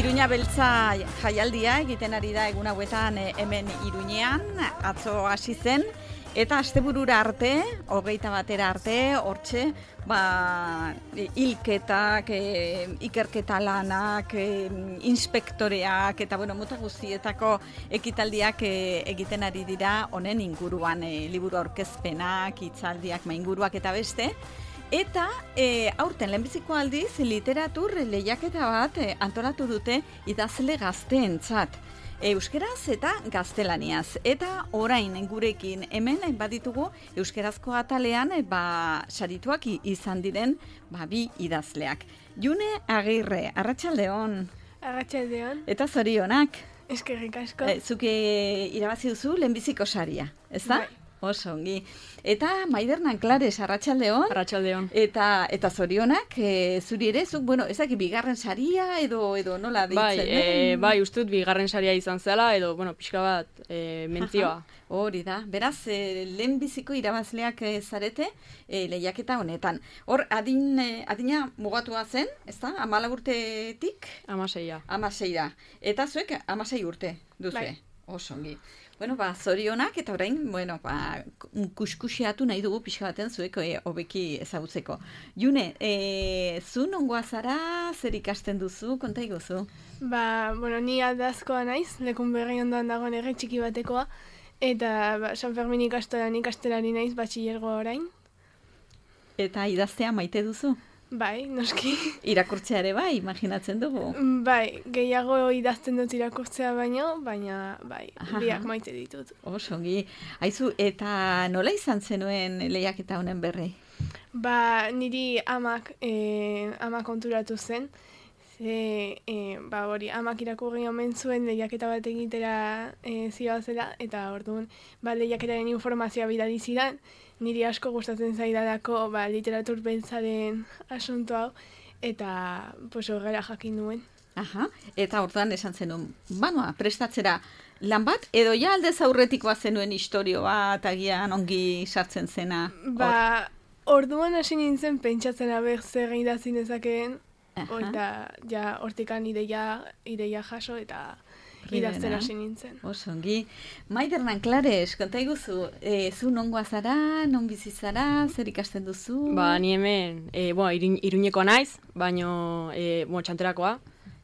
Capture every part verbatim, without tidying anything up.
Iruña Beltza jaialdia egiten ari da egun hauetan hemen Iruñean, atzo hasi zen, eta asteburura arte, hogeita batera arte, hortxe, ba, hilketak, e, ikerketa lanak, e, inspektoreak, eta bueno, mota guztietako ekitaldiak e, egiten ari dira honen inguruan, e, liburu aurkezpenak, hitzaldiak, mainguruak eta beste. Eta e, aurten lehenbiziko aldiz literatur lehiaketa bat e, antolatu dute idazle gazteentzat. Euskeraz eta gaztelaniaz. Eta orain gurekin hemen baditugu euskerazko atalean ba, sarituak izan diren ba, bi idazleak. June Agirre, arratsaldeon. Arratsaldeon. Eta zorionak. Eskerrik asko. E, Zuke irabazi duzu lehenbiziko saria, ezta? Bai. Oso ongi. Eta Maider Nanclares, arratsaldeon. Arratsaldeon. Eta eta zorionak, e, zuri ere, zuk, bueno, ezak bigarren saria edo edo nola deitzen? Bai, e, bai, ustut bigarren saria izan zela edo, bueno, pixka bat e, mentzioa. Hori da. Beraz, e, lehenbiziko irabazleak e, zarete e, lehiaketa honetan. Hor, adin, e, adina mugatua zen, ezta? Hamalau urtetik? Hamaseia. Hamaseira. Eta zuek hamasei urte duzu. Bai. Oso ongi. Bueno, ba, zorionak, eta orain, bueno, ba, kuskusiatu nahi dugu pixka baten zuek e, hobeki ezagutzeko. June, e, zu nongoa zara, zer ikasten duzu, konta iguzu? Ba, bueno, ni aldazkoa naiz, lekun berri ondoan dagoen ere txiki batekoa, eta ba, San Fermin ikastolan ikastelari naiz batxilergo orain. Eta idaztea maite duzu? Bai, noski. Irakurtzea ere bai, imaginatzen dugu. Bai, gehiago idazten dut irakurtzea baino, baina bai, Aha. biak maite ditut. Oso ongi. Aizu, eta nola izan zenuen lehiaketa honen berri? Ba, niri amak, e, amak konturatu zen, ze, e, ba, hori, amak irakurri omen zuen lehiaketa bat egitera e, zioazela, eta orduan, ba, lehiaketaren informazioa bidali zidan, niri asko gustatzen zaidalako ba, literatur beltzaren asunto hau, eta pues, horrela jakin nuen. Aha, eta orduan esan zenuen, banoa, prestatzera lan bat, edo ja aldez aurretikoa zenuen istorio bat, agian ongi sartzen zena? Ba, orduan hasi nintzen pentsatzen aber zer idazi nezakeen, Aha. eta ja hortikan ideia, ideia jaso, eta idazten hasi nintzen. Oso ongi. Maider Nanclares, konta iguzu, e, zu nongoa zara, non bizi zara, zer ikasten duzu? Ba, ni hemen, e, bueno, iruñ, iruñeko naiz, baino, e, bueno, txanterakoa,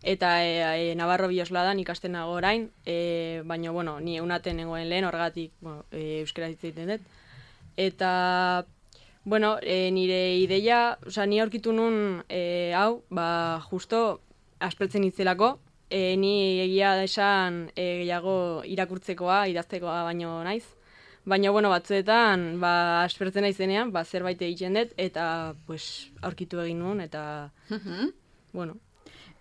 eta e, e, Navarro Biosladan ikasten nago orain, e, baino, bueno, ni eunaten nengoen lehen, horregatik, bueno, e, euskera hitz egiten dut. Eta, bueno, e, nire ideia, oza, ni aurkitu nun, e, hau, ba, justo, aspertzen itzelako, E, ni egia esan e, gehiago irakurtzekoa, idaztekoa baino naiz. Baina, bueno, batzuetan, ba, aspertzen naizenean, ba, zerbait egiten dut, eta, pues, aurkitu egin nuen, eta, Mhm. bueno.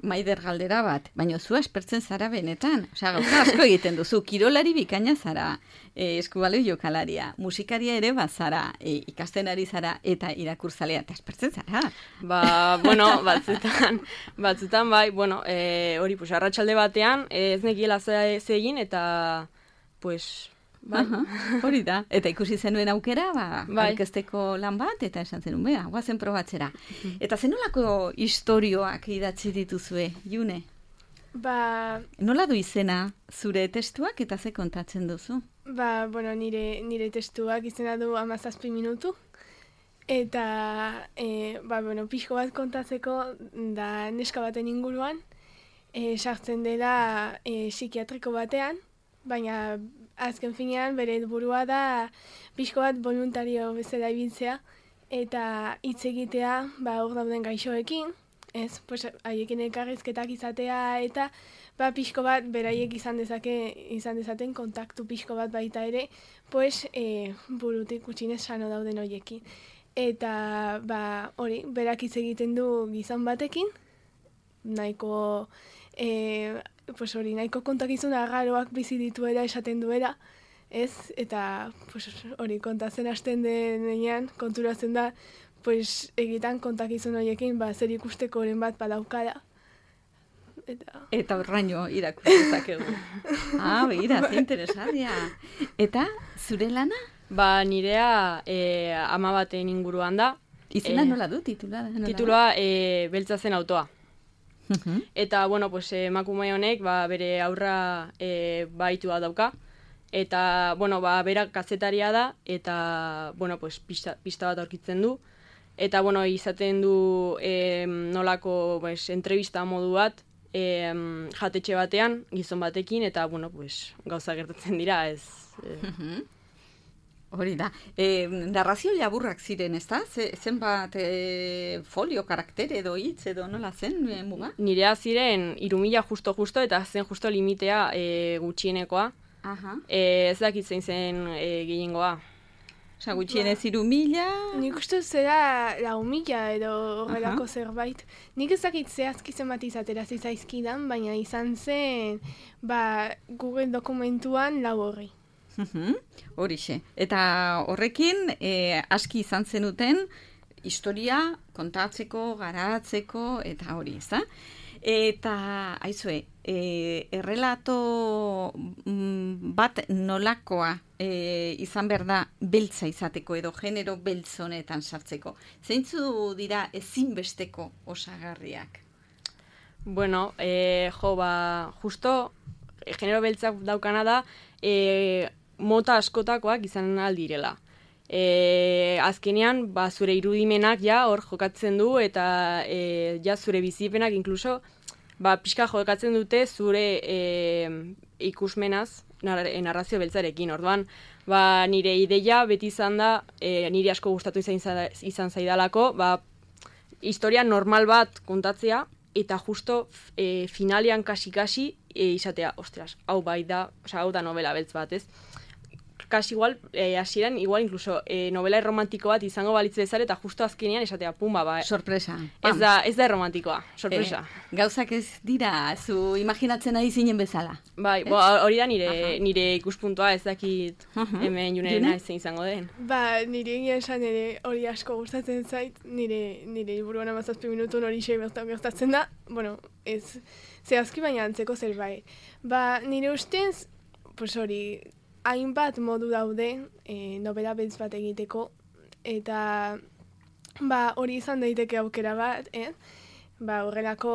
Maider galdera bat, baina zu aspertzen zara benetan. Osea, gauza asko egiten duzu, kirolari bikaina zara, e, eskubaloi jokalaria, musikaria ere bazara, e, ikasten ari zara, eta irakurzalea, eta aspertzen zara. Ba, bueno, batzutan, batzutan, bai, bueno, e, hori, pues, arratsalde batean, ez nekiela ze ze egin, eta, pues, bai. Aha, hori da. Eta ikusi zenuen aukera, ba, Bai. aurkezteko lan bat, eta esan zenuen, bea, guazen probatzera. Eta zenolako istorioak idatzi dituzue, June? Ba, Nola du izena zure testuak eta ze kontatzen duzu? Ba, bueno, nire, nire testuak izena du hamazazpi minutu. Eta, e, ba, bueno, pixko bat kontatzeko da neska baten inguruan, e, sartzen dela e, psikiatriko batean, baina azken finean bere helburua da pixko bat voluntario bezala ibiltzea, eta hitz egitea, ba, hor dauden gaixoekin, ez, pues, haiekin elkarrizketak izatea, eta ba, pixko bat beraiek izan dezake, izan dezaten kontaktu pixko bat baita ere, pues, e, burutik gutxinez sano dauden horiekin. Eta, ba, hori, berak hitz egiten du gizon batekin, nahiko, e, pues hori, nahiko kontakizun arraroak bizi dituela esaten duela, ez? Eta, pues hori, kontatzen hasten denean, konturatzen da, pues egitan kontakizun horiekin, ba, zer ikusteko oren bat badaukala. Eta, Eta horraino irakurtzak egu. Ah, begira, ze interesaria. Eta, zure lana? Ba, nirea e, ama baten inguruan da. Izena Eh, nola du, titula? Nola Titulua e, Beltza zen autoa. Eta, bueno, pues, emakume honek ba, bere aurra e, baitua dauka. Eta, bueno, ba, berak kazetaria da, eta, bueno, pues, pista, pista bat aurkitzen du. Eta, bueno, izaten du e, nolako pues, entrevista modu bat, e, jatetxe batean, gizon batekin, eta, bueno, pues, gauza gertatzen dira, ez... E... Hori da. E, narrazio laburrak ziren, ez da? Zenbat e, folio, karaktere edo hitz edo nola zen, e, muga? Nirea ziren irumila justo-justo eta zen justo limitea e, gutxienekoa. Aha. E, ez dakit zein zen e, gehiengoa. Osa, gutxienez irumila... Nik uste zera lau mila edo horrelako zerbait. Nik ez dakit zehazki zenbat izatera zizaizkidan, baina izan zen ba, Google dokumentuan lau horri. Horixe. Eta horrekin, e, aski izan zenuten historia kontatzeko, garatzeko, eta hori, ez da? Eta, aizue, e, errelato bat nolakoa e, izan behar da beltza izateko edo genero beltz honetan sartzeko. Zeintzu dira ezinbesteko osagarriak? Bueno, e, jo, ba, justo, genero beltzak daukana da, e, mota askotakoak izan aldirela. E, azkenean, ba, zure irudimenak ja hor jokatzen du eta e, ja zure bizipenak inkluso ba, pixka jokatzen dute zure e, ikusmenaz nar narrazio beltzarekin. Orduan, ba, nire ideia beti izan da, e, nire asko gustatu izan, izan zaidalako, ba, historia normal bat kontatzea eta justo e, finalean kasi-kasi e, izatea, ostras, hau bai da, oza, hau da novela beltz bat, ez? Kasi igual, eh, hasieran, igual incluso eh, novela romantiko bat izango balitz bezala eta justo azkenean esatea, pumba, ba. Sorpresa. Ez da, ez da romantikoa, sorpresa. Eh, gauzak ez dira, zu imaginatzen ari zinen bezala. Bai, bo, hori da nire, nire ikuspuntua, ez dakit hemen juneren zein izango den. Ba, nire egia esan ere hori asko gustatzen zait, nire, nire liburuan amazazpi minutun hori sei bertan gertatzen da, bueno, ez zehazki baina antzeko zerbait. Ba, nire ustez, pues hori, hainbat modu daude e, novela beltz bat egiteko, eta ba, hori izan daiteke aukera bat, eh? Ba, horrelako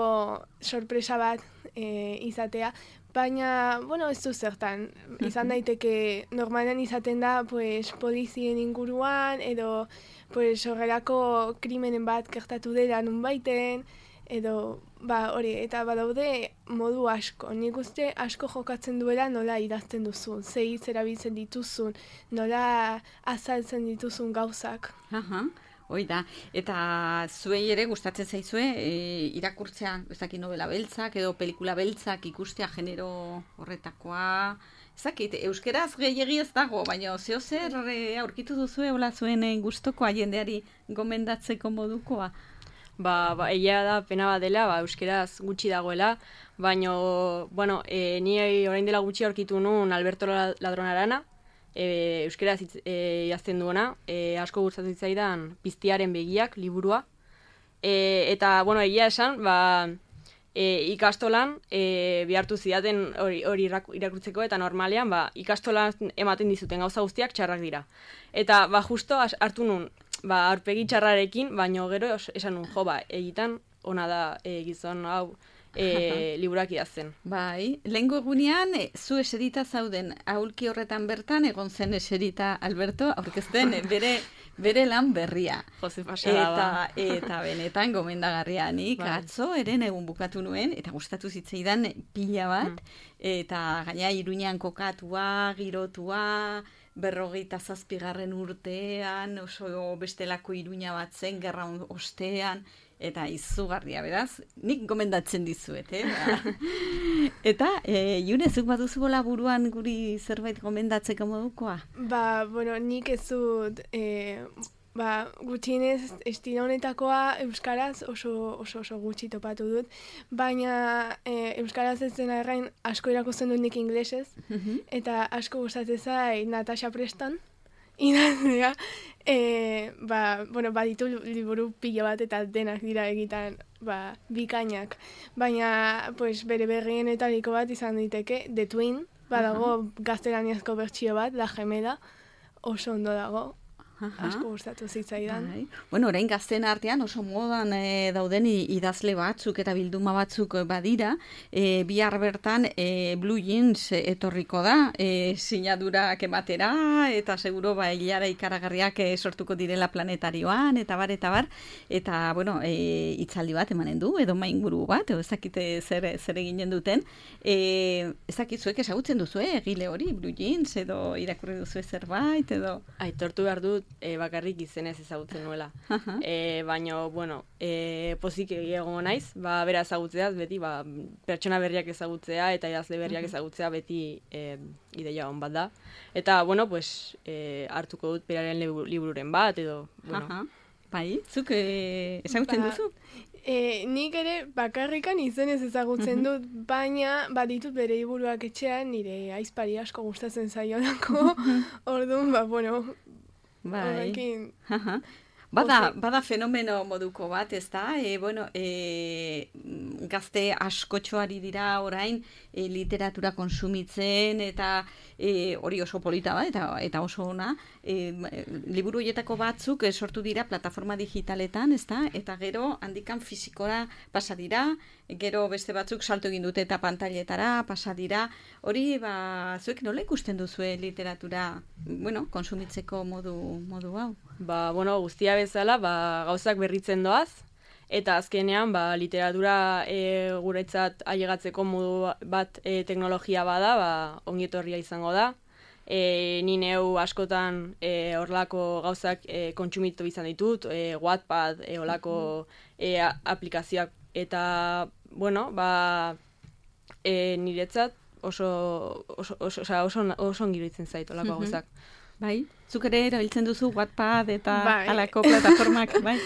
sorpresa bat e, izatea, baina, bueno, ez du zertan, izan daiteke normalean izaten da, pues, polizien inguruan, edo, pues, horrelako krimenen bat gertatu dela nunbaiten, edo, ba, hori, eta badaude modu asko. Nik uste asko jokatzen duela nola idazten duzun, ze hitz erabiltzen dituzun, nola azaltzen dituzun gauzak. Aha, hoi da. Eta zuei ere gustatzen zaizue, e, irakurtzea, ez dakit novela beltzak edo pelikula beltzak ikustea genero horretakoa. Ez dakit, euskeraz gehiegi ez dago, baina zeo zer e, aurkitu duzue hola zuen e, gustokoa jendeari gomendatzeko modukoa. Ba, ba, egia da pena bat dela, ba, euskeraz gutxi dagoela, baina, bueno, e, ni orain dela gutxi aurkitu nuen Alberto Ladronarana, e, euskeraz e, jazten duena, e, asko gustatu zitzaidan Piztiaren begiak liburua, e, eta, bueno, egia esan, ba, e, ikastolan e, behartu zidaten hori, hori irakurtzeko, eta normalean, ba, ikastolan ematen dizuten gauza guztiak txarrak dira. Eta, ba, justo hartu nuen, ba, aurpegi txarrarekin, baino gero esan nun, jo, ba, egitan ona da e, gizon hau e, liburak idazten. Bai, lehengo egunean, e, zu eserita zauden aulki horretan bertan, egon zen eserita Alberto, aurkezten bere, bere lan berria. Jose pasada, eta, ba. Eta benetan gomendagarria nik, Bai. atzo eren egun bukatu nuen, eta gustatu zitzaidan pila bat, mm. eta gaina Iruñean kokatua, girotua, berrogeita zazpigarren urtean, oso bestelako Iruña bat zen, gerra ostean, eta izugarria, beraz, nik gomendatzen dizuet, eh? Ba. Eta, e, June, zuk baduzu bola buruan guri zerbait gomendatzeko modukoa? Ba, bueno, nik ez dut, e, ba, gutxienez estilo honetakoa euskaraz oso, oso, oso gutxi topatu dut, baina e, euskaraz ez dena errain asko irakusten dut nik inglesez, eta asko gustatzen zait Natasha Preston, idazlea, e, ba, bueno, baditu liburu pila bat eta denak dira egiten ba, bikainak, baina pues, bere berrienetariko bat izan diteke, The Twin, badago gaztelaniazko bertsio bat, La Gemela, oso ondo dago. asko gustatu zitzaidan. Bai. Bueno, orain gazten artean oso modan e, dauden idazle batzuk eta bilduma batzuk badira, e, bihar bertan e, Blue Jeans etorriko da, e, sinadurak ematera, eta seguro ba, hilara ikaragarriak e, sortuko direla planetarioan, eta bar, eta bar, eta, bueno, e, itzaldi bat emanen du, edo mainguru bat, edo ezakite zer, zer eginen duten, e, ezakitzuek ezagutzen duzu, eh, egile hori, Blue Jeans, edo irakurri duzu zerbait, edo... Aitortu behar dut, e, bakarrik izenez ezagutzen nuela. e, baina, bueno, e, pozik egongo naiz, ba, bera ezagutzeaz, beti, ba, pertsona berriak ezagutzea eta idazle berriak ezagutzea beti e, ideia hon bat da. Eta, bueno, pues, e, hartuko dut beraren libururen bat, edo, bueno. Aha. Bai, zuk e, ezagutzen Ba, duzu? E, nik ere bakarrikan izenez ezagutzen dut, baina baditut bere liburuak etxean, nire aizpari asko gustatzen zaiolako, orduan, ba, bueno, Bai. horrekin... Aha. Bada, bada fenomeno moduko bat, ez da? E, bueno, e, gazte askotxoari dira orain e, literatura konsumitzen, eta e, hori oso polita bat, eta, eta oso ona. E, liburu horietako batzuk e, sortu dira plataforma digitaletan, ez da? Eta gero handikan fizikora pasa dira, gero beste batzuk salto egin dute eta pantailetara pasa dira. Hori, ba, zuek nola ikusten duzue literatura, bueno, konsumitzeko modu, modu hau? Ba, bueno, guztia bezala, ba, gauzak berritzen doaz, eta azkenean, ba, literatura e, guretzat ailegatzeko modu bat e, teknologia bada, ba, ongietorria izango da. E, ni neu askotan e, horlako gauzak e, kontsumitu izan ditut, e, Wattpad, e, horlako e, aplikazioak, eta, bueno, ba, e, niretzat oso, oso, oso, oso, oso, oso ongiritzen zait horlako gauzak. Bai, zuk ere erabiltzen duzu Wattpad eta Bai. halako plataformak, bai?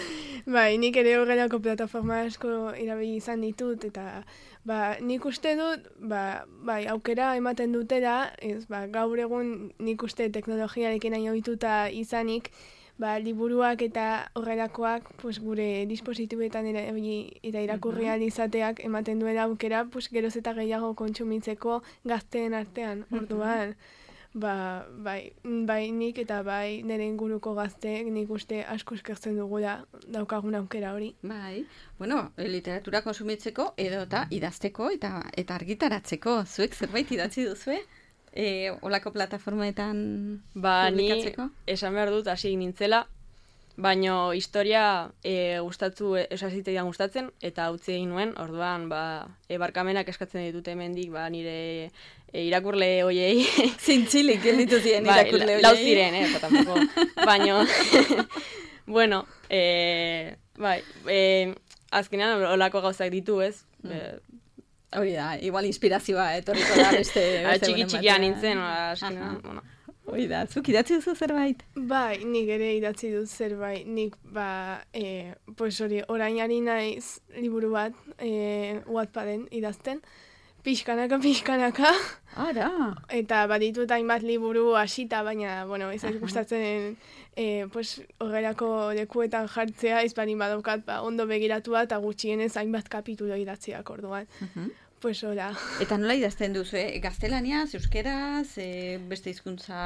Bai, nik ere horrelako plataforma asko irabili izan ditut, eta ba, nik uste dut, ba, bai, aukera ematen dutela, ez, ba, gaur egun nik uste teknologiarekin hain ohituta izanik, ba, liburuak eta horrelakoak pues, gure dispositibetan erabili eta irakurri ahal izateak ematen duela aukera pues, geroz eta gehiago kontsumitzeko gazteen artean, orduan. Ba, bai, bai nik eta bai nire inguruko gazteek nik uste asko eskertzen dugula daukagun aukera hori. Bai, bueno, literatura konsumitzeko edo eta idazteko eta eta argitaratzeko. Zuek zerbait idatzi duzue? E, olako plataformetan ba, publikatzeko? Ni esan behar dut hasi nintzela, baino historia e, gustatzu, esaziteian gustatzen, eta utzi egin nuen, orduan, ba, e, barkamenak eskatzen ditut hemendik, ba, nire e, irakurle hoiei. Zintzilik, gelditu ziren irakurle hoiei. Lau ziren, eh, tampoco. Baino, bueno, e, bai, e, azkenean olako gauzak ditu, ez? Mm. E, Hori da, igual inspirazioa etorriko da beste... beste txiki txikia nintzen, azkenean, bueno. Hori da, zuk idatzi duzu zerbait? Bai, nik ere idatzi dut zerbait, nik ba, e, pues hori, orain ari naiz liburu bat, e, Wattpaden idazten, pixkanaka, pixkanaka. Ara! Eta baditut hainbat liburu hasita, baina, bueno, ez ez gustatzen e, pues, horrelako lekuetan jartzea, ez bani badaukat, ba, ondo begiratua eta gutxienez hainbat kapitulo idatziak orduan. Uh-huh. Pues hola. Eta nola idazten duzu, eh? Gaztelaniaz, euskeraz, e, beste hizkuntza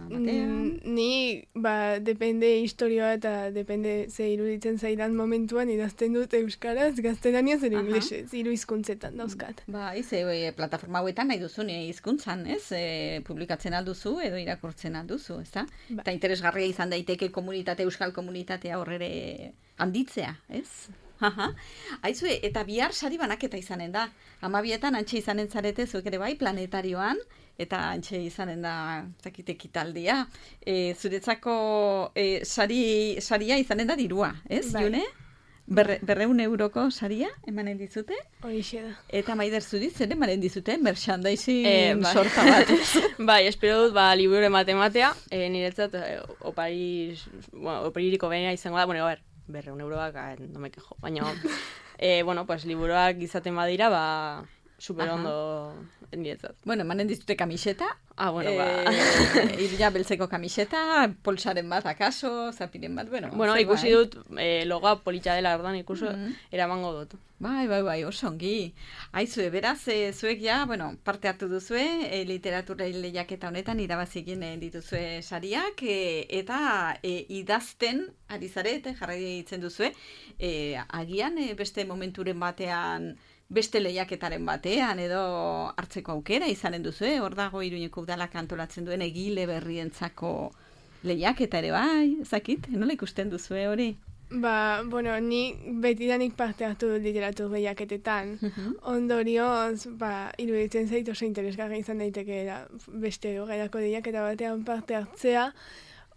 batean? Mm, ni, ba, depende historioa eta depende ze iruditzen zaidan momentuan idazten dut euskaraz, gaztelaniaz ere inglesez, hiru hizkuntzetan dauzkat. Ba, ez, e, plataforma hauetan nahi duzu hizkuntzan, ez? E, publikatzen alduzu edo irakurtzen alduzu, ez da? Ba. Eta interesgarria izan daiteke komunitate, euskal komunitatea horrere handitzea, ez? Aha. Aizue, eta bihar sari banaketa izanen da. Amabietan antxe izanen zarete zuek ere bai planetarioan, eta antxe izanen da zakitekitaldia. E, zuretzako e, sari, saria izanen da dirua, ez, bai. June? Berre, berreun euroko saria emanen dizute? Horixe da. Eta Maider zuriz ere emanen dizute, merchandising e, bai. sorta bat. Bai, espero dut, ba, liburu matematea, e, niretzat e, opari, bueno, opaririko benera izango da, bueno, a ber, berreun euroak, no me quejo, baina, e, bueno, pues, liburuak izaten badira, ba, super ondo niretzat. Bueno, emanen dizute kamiseta. Ah, bueno, ba. Eh, Iruña beltzeko kamiseta, polsaren bat akaso, zapiren bat, bueno. Bueno, ikusi dut eh, logoa politxa dela, ordan ikuso, Mhm. eramango dut. Bai, bai, bai, oso ongi. Aizue, beraz, e, zuek ja, bueno, parte hartu duzue, e, literatura lehiaketa honetan irabazi egin dituzue sariak, e, eta e, idazten ari zarete, jarrai ditzen duzue, e, agian e, beste momenturen batean, beste lehiaketaren batean, edo hartzeko aukera izanen duzue, hor dago Iruñeko udalak antolatzen duen egile berrientzako lehiaketa ere bai, ezakit, nola ikusten duzue hori? Ba, bueno, ni betidanik parte hartu dut literatur lehiaketetan. Ondorioz, ba, iruditzen zait oso interesgarri izan daitekeela beste horrelako lehiaketa batean parte hartzea.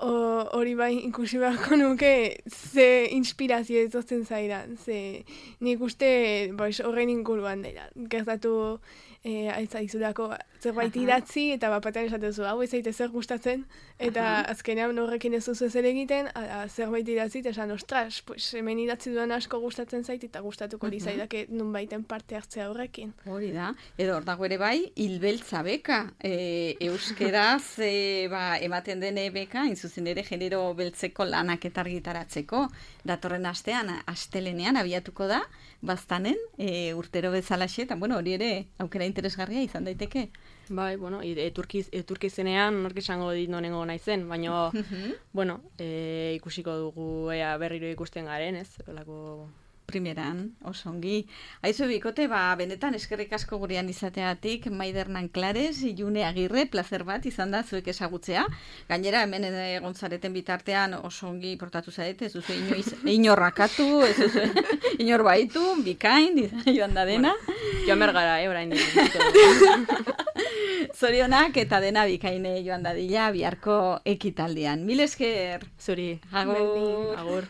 O, hori bai ikusi beharko nuke ze inspirazio etortzen zaidan. Ze nik uste boiz, horren inguruan dela. Gertatu e, aizaizulako zerbait idatzi eta bapatean esatezu hau ez zaite zer gustatzen eta Aha. azkenean horrekin ez duzu zer egiten ala, zerbait idatzi eta esan ostras, pues, hemen idatzi duan asko gustatzen zait eta gustatuko uh -huh. lizaidake nunbaiten parte hartzea horrekin. Hori da, edo hor dago ere bai hilbeltza beka, e, euskeraz e, ba, ematen den beka, zuzen ere genero beltzeko lanak eta argitaratzeko, datorren astean, astelenean abiatuko da, baztanen, e, urtero bezalaxe, eta bueno, hori ere aukera interesgarria izan daiteke. Bai, bueno, eturkiz, eturkizenean nork esango dit nonengo naizen, baina, bueno, e, ikusiko dugu ea berriro ikusten garen, ez? Olako primeran, oso ongi. Aizu bikote, ba, benetan eskerrik asko gurean izateatik, Maider Nanclares, June Agirre, placer bat izan da zuek ezagutzea. Gainera, hemen egon zareten bitartean oso ongi portatu zarete, ez duzu inoiz, inorrakatu, ez duzu inor baitu, bikain, joan da dena. Bueno, joan bergara, eh, orain. Zorionak eta dena bikaine joan dadila biharko ekitaldian. Mil esker. Zuri. Agur. Agur.